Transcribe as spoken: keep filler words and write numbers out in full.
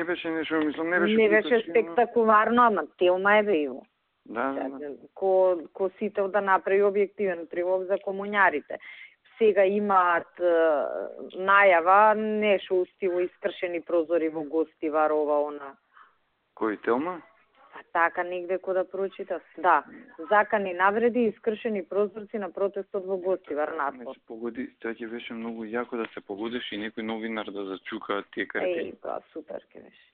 не беше нешто, мислам, не беше... Не беше спектакуларно, ама Телма е бејво. Да, да, да. Ко, ко сител да направи објективен прилог за комуњарите. Сега имаат е, најава, нешто у стилу искршени прозори во Гостивар, ова, она. Кој, Телма? Па така негде кој да прочитав. Да, закани навреди и искршени прозорци на протестот во Гостивар надпор. Се погоди, тоа ќе беше многу јако да се погодиш и некој новинар да зачука тие карти. Еј, тоа супер ќе беше.